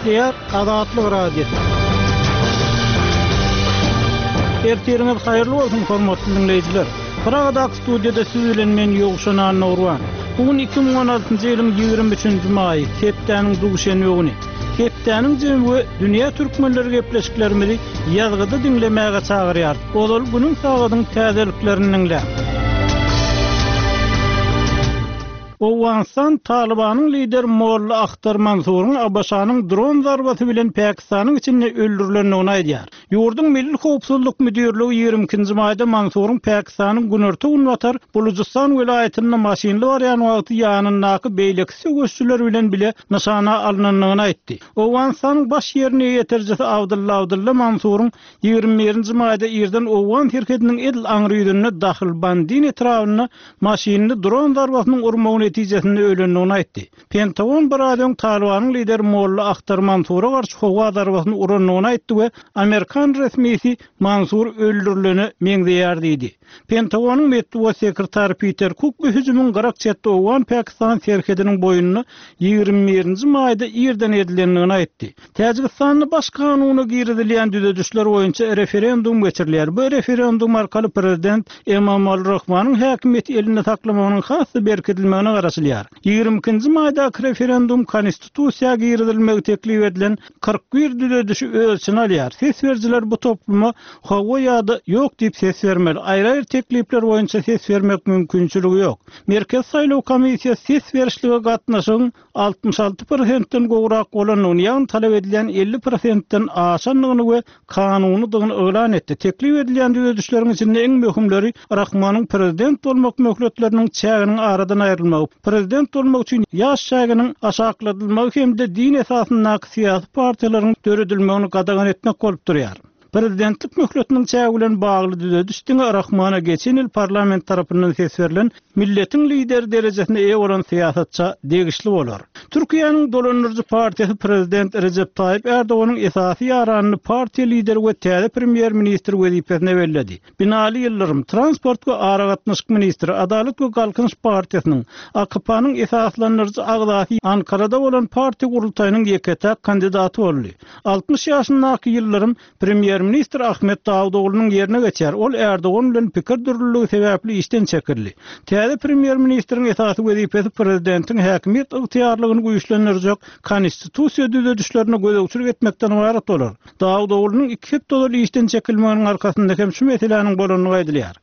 Gepleýär Azatlyk Radiosy. Ertiriňiz haýyrly bolsun, hormatly diňleýjiler! Pragadaky studiýada siz bilen men Ýowşan Annagurban. Bu gün 2016-njy ýylyň 23-nji maýy, hepdäniň duşenbe güni. Hepdäniň jemi we dünýä türkmenleri gepleşiklerimizi ýazgyda diňlemäge çagyrýar. Ozal günüň sagadyň täzeliklerini diňläň. Owganystan Talybanyň lideri Molla Ahtar Mansuryň ABŞ-nyň dron zarbasy bilen Pakistanyň içinde öldürilendigini aýdýar. Ýurduň Milli howpsuzlyk müdirligi 22-nji maýda Mansuryň Pakistanyň günorta-günbatar Bulujystan welaýatynda maşynly barýan wagty ýanyndaky beýleki söweşijiler bilen bile nyşana alnandygyny aýtdy. Owganystanyň baş ýerine ýetirijisi Abdylla Abdylla Mansuryň 21-nji maýda irden owgan serhediniň edil aňry ýüzünde Dahlbandin etrabynda maşynly dron zarbasynyň urmagy netijesinde ölendigini aýtdy. Pentagon biraz öň Talybanyň lideri Molla Ahtar Mansura garşy howa zarbasyny urandygyny aýtdy we amerikan resmisi Mansur öldürilene meňzeýär diýdi. Pentagonyň metbugat sekretary Piter Kuk bu hüjümiň gyrak çetde owgan-pakistan serhediniň boýunda 21-nji maýda irden edilendigini aýtdy. Täjigistanda Baş kanuna girizilýän düzedişler boýunça referendum geçirilýär. Bu referendum arkaly prezident Emomali Rahmanyň häkimiýeti elinde saklamagynyň has-da berkidilmegine garaşylýar. 22-nji maýdaky referendum konstitusiýa girizilmegi teklip edilen 41 düzedişi öz içine alýar. Ses berijiler bu topluma hawa ýa-da ýok diýip ses bermeli. Aýry-aýry teklipler boýunça ses bermek mümkinçiligi ýok. Merkezi saýlaw komissiýasy ses berişlige gatnaşygyň 66 prosentden gowrak bolandygyny, ýagny talap edilýän 50 prosentden aşandygyny we kanunydygyny yglan etdi. Teklip edilýän düzedişleriň içinde iň möhümleri Rahmonyň prezident bolmak möhletleriniň çäginiň aradan aýrylmagy, prezident bolmak üçin ýaş çäginiň aşakladylmagy hem-de din esasyndaky syýasy partiýalaryň döredilmegini gadagan etmek bolup durýar. Prezidentlik möhletiniň çägi bilen bagly düzediş diňe Rahmona geçen ýyl parlament tarapyndan ses berlen milletiň lideri derejesine eýe bolan syýasatça degişli bolar. Türkiýäniň dolandyryjy partiýasy prezident Rejep Taýyp Erdoganyň esasy ýaranyny partiýa lideri we täze premýer-ministr wezipesine belledi. Binali Ýyldyrym, transport we aragatnaşyk ministri, Adalat we Galkynyş partiýasynyň, AKP-nyň esaslandyryjy agzasy Ankarada bolan partiýa gurultaýynyň ýeke-täk kandidaty boldy. 60 ýaşyndaky Ýyldyrym premýer-ministr Ahmet Dawutoglunyň ýerine geçer. Ol Ärdogan bilen pikir dürlüligi sebäpli işden çekildi. Täze premýer-ministriň esasy wezipesi prezidentiň häkimiýet ygtyýarlygyny güýçlendirjek konstitusiýa düzedişlerine gözegçilik etmekden ybarat bolar. Dawutoglunyň iki hepde ozal işden çekilmeginiň arkasynda hem şu meseläniň bolandygy aýdylýar.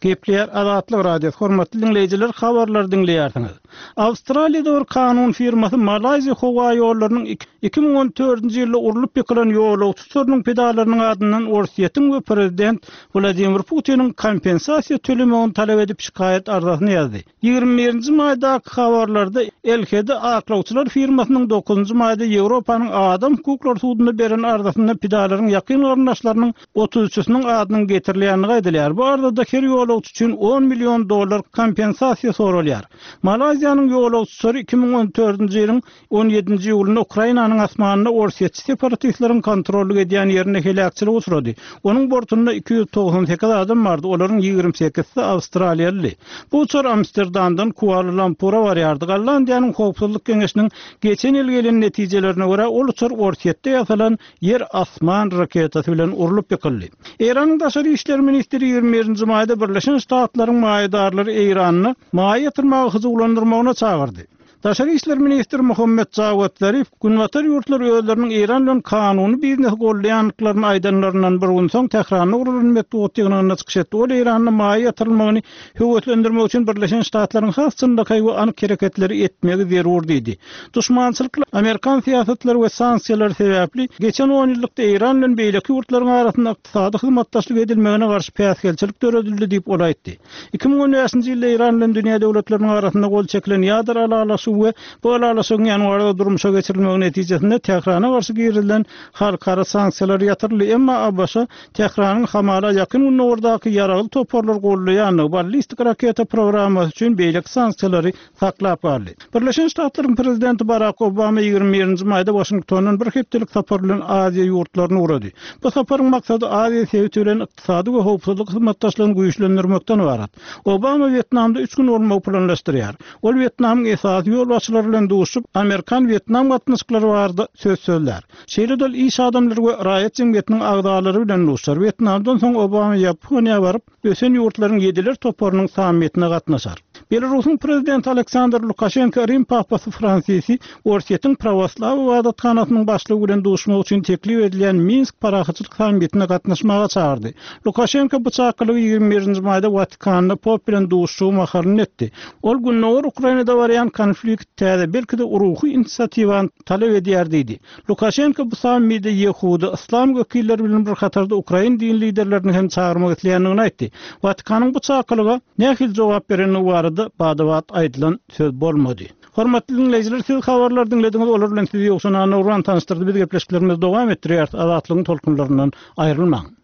Gepleýär Azatlyk Radiosy, hormatly diňleýjiler, habarlary diňleýärsiňiz. Awstraliýada bir kanun firmasy Malaýziýa howa ýollarynyň 2014-nji ýylda urlup ýykylan ýolagçy uçarynyň pidalarynyň adyndan Orsýetiň we prezident Wladimir Putiniň kompensasiýa tölemegini talap edip şikaýat arzasyny ýazdy. 21-nji maýdaky habarlarda LHD aklawçylar firmasynyň dokuzynjy maýda Ýewropanyň Adam hukuklary sudunda beren arzasynda pidalaryň ýakyn garyndaşlarynyň otuz üçüsiniň adynyň getirilýändigi aýdylýar. Bu arzada her ýolagçy üçin on million dollar kompensasiýa soralýar. Malaýziýanyň ýolagçy uçary 2014-nji ýylyň On ýedinji iýulynda Ukrainanyň asmanynda orsýetçi separatistleriň kontrollyk edýän ýerinde heläkçilige uçrady. Onuň bortunda 298 adam bardy, olaryň 28-si awstraliýalydy. Bu uçar Amsterdamdan Kuala-Lumpura barýardy. Gollandiýanyň Howpsuzlyk geňeşiniň geçen ýyl gelen netijelerine görä, ol uçar Orsýetde ýasalan ýer-asman raketasy bilen urlup ýykyldy. Eýranyň daşary işler ministri 21-nji maýda Birleşen Ştatlaryň maýadarlary Eýranda maýa ýatyrmaga hyjuwlandyrmagyna çagyrdy. Daşary işler ministri Muhammet Jawad Zarif Günbatar ýurtlary özleriniň Eýran bilen kanuny biznesi goldaýandyklaryny aýdanlaryndan bir gün soň Tähranda guralan metbugat ýygnagynda çykyş etdi. Ol Eýranda maýa ýatyrylmagyny höweslendirmek üçin Birleşen Ştatlaryň has çynlakaý we anyk hereketleri etmegi zerur diýdi. Duşmançylykly amerikan syýasatlary we sanksiýalary sebäpli geçen onýyllykda Eýran bilen beýleki ýurtlaryň arasynda ykdysady hyzmatdaşlyk edilmegine garşy päsgelçilik döredildi diýip ol aýtdy. 2015-nji ýylda Eýran bilen dünýä döwletleriniň arasynda gol çekilen ýadro ylalaşygy we bu ylalaşygyň ýanwarda durmuşa geçirilmegi netijesinde Tährana garşy girizilen halkara sanksiýalar ýatyryldy. Emma ABŞ Tähranyň hamala Ýakyn Gündogardaky ýaragly toparlary goldaýandygy, ballistik raketa programmasy üçin beýleki sanksiýalary saklap galdy. Birleşen Ştatlaryň prezidenti Barak Obama 21-nji maýda Waşingtondan bir hepdelik sapar bilen Aziýa ýurtlaryna ugrady. Bu saparyň maksady Aziýa sebiti bilen ykdysady we howpsuzlyk hyzmatdaşlygyny güýçlendirmekden ybarat. Obama Wýetnamda üç gün bolmagy planlaşdyrýar. Ol Wýetnamyň esasy. ýolbaşçylary bilen duşup, amerikan-wýetnam gatnaşyklary barada söz sözlär. Şeýle-de ol iş adamlary we raýat jemgyýetiniň agzalary bilen duşar. Wýetnamdan soň Obama Ýaponiýa baryp, ösen ýurtlaryň ýediler toparynyň sammitine gatnaşar. Belarusyň prezidenti Aleksandr Lukaşenko Rim papasy Fransisi Orsýetiň prawoslaw ybadathanasynyň başlygy bilen duşmak üçin teklip edilýän Minsk parahatçylyk sammitine gatnaşmaga çagyrdy. Lukaşenko bu çakylygy 21 nji maýda Watikanda pop bilen duşuşygy mahalynda etdi. Ol Gündogar Ukrainada barýan konflikt täze, belki-de ruhy inisiatiwany talap edýär diýdi. Lukaşenko bu sammide ýehudy, yslam wekilleri bilen bir hatarda ukrain din liderlerini hem çagyrmak isleýändigini aýtdy. Watikanyň bu çakylyga nähili jogap berendigi barada bada-bat aýdylan söz bolmady. Hormatly diňleýjiler, siz habarlary diňlediňiz, olar bilen sizi Ýowşan Annagurban tanyşdyrdy. Biz gepleşiklerimizi dowam etdirýäris, Azatlygyň tolkunlaryndan aýrylmaň.